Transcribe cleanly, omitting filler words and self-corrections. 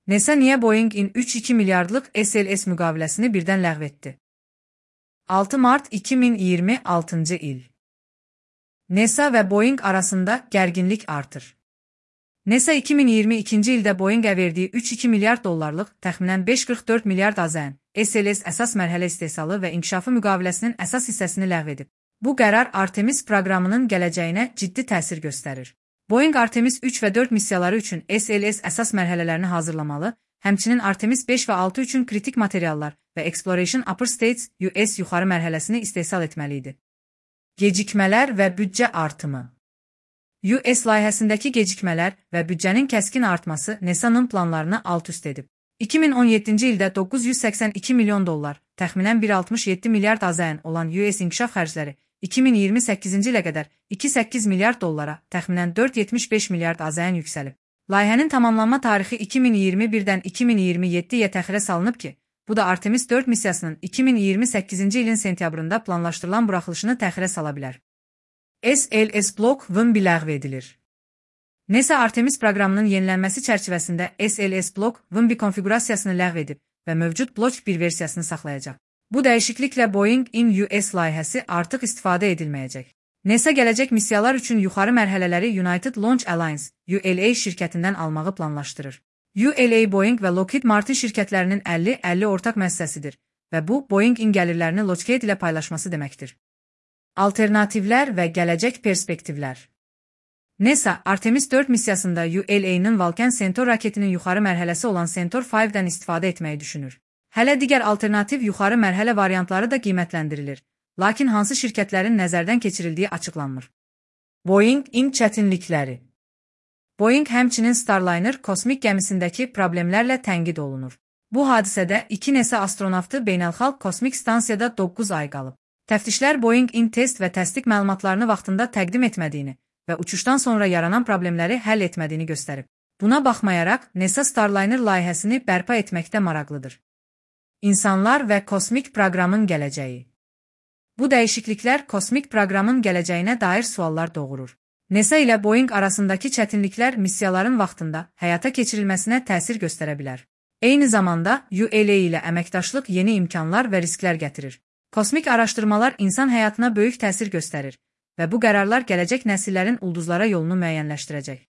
NASA niyə Boeing-in 3,2 milyardlıq SLS müqaviləsini birdən ləğv etdi? 6 mart 2026-cı il. NASA və Boeing arasında gərginlik artır. NASA 2022-ci ildə Boeing-ə verdiyi 3,2 milyard dollarlıq, təxminən 5,44 milyard AZN SLS əsas mərhələ istehsalı və inkişafı müqaviləsinin əsas hissəsini ləğv edib. Bu qərar Artemis proqramının gələcəyinə ciddi təsir göstərir. Boeing Artemis 3 və 4 missiyaları üçün SLS əsas mərhələlərini hazırlamalı, həmçinin Artemis 5 və 6 üçün kritik materiallar və Exploration Upper States US yuxarı mərhələsini istehsal etməli idi. Gecikmələr və büdcə artımı. US layihəsindəki gecikmələr və büdcənin kəskin artması NASA'nın planlarını alt-üst edib. 2017-ci ildə 982 milyon dollar, təxminən 1,67 milyard AZN olan US inkişaf xərcləri 2028-ci ilə qədər 2,8 milyard dollara, təxminən 4,75 milyard AZN yüksəlib. Layihənin tamamlanma tarixi 2021-dən 2027-yə təxirə salınıb ki, bu da Artemis 4 missiyasının 2028-ci ilin sentyabrında planlaşdırılan buraxılışını təxirə sala bilər. SLS Block VMB ləğv edilir. NASA Artemis proqramının yenilənməsi çərçivəsində SLS Block VMB konfiqurasiyasını ləğv edib və mövcud Block 1 versiyasını saxlayacaq. Bu dəyişikliklə Boeing-in US layihəsi artıq istifadə edilməyəcək. NASA gələcək missiyalar üçün yuxarı mərhələləri United Launch Alliance (ULA) şirkətindən almağı planlaşdırır. ULA Boeing və Lockheed Martin şirkətlərinin 50-50 ortaq müəssisəsidir və bu Boeing-in gəlirlərini Lockheed ilə paylaşması deməkdir. Alternativlər və gələcək perspektivlər. NASA Artemis 4 missiyasında ULA-nın Vulcan Centaur raketinin yuxarı mərhələsi olan Centaur 5-dən istifadə etməyi düşünür. Hələ digər alternativ yuxarı mərhələ variantları da qiymətləndirilir, lakin hansı şirkətlərin nəzərdən keçirildiyi açıqlanmır. Boeing-in çətinlikləri. Boeing həmçinin Starliner kosmik gəmisindəki problemlərlə tənqid olunur. Bu hadisədə 2 NASA astronavtı beynəlxalq kosmik stansiyada 9 ay qalıb. Təftişlər Boeing-in test və təsdiq məlumatlarını vaxtında təqdim etmədiyini və uçuşdan sonra yaranan problemləri həll etmədiyini göstərib. Buna baxmayaraq, NASA Starliner layihəsini bərpa etməkdə maraqlıdır. İnsanlar və kosmik proqramın gələcəyi. Bu dəyişikliklər kosmik proqramın gələcəyinə dair suallar doğurur. NASA ilə Boeing arasındakı çətinliklər missiyaların vaxtında həyata keçirilməsinə təsir göstərə bilər. Eyni zamanda, ULA ilə əməkdaşlıq yeni imkanlar və risklər gətirir. Kosmik araşdırmalar insan həyatına böyük təsir göstərir və bu qərarlar gələcək nəsillərin ulduzlara yolunu müəyyənləşdirəcək.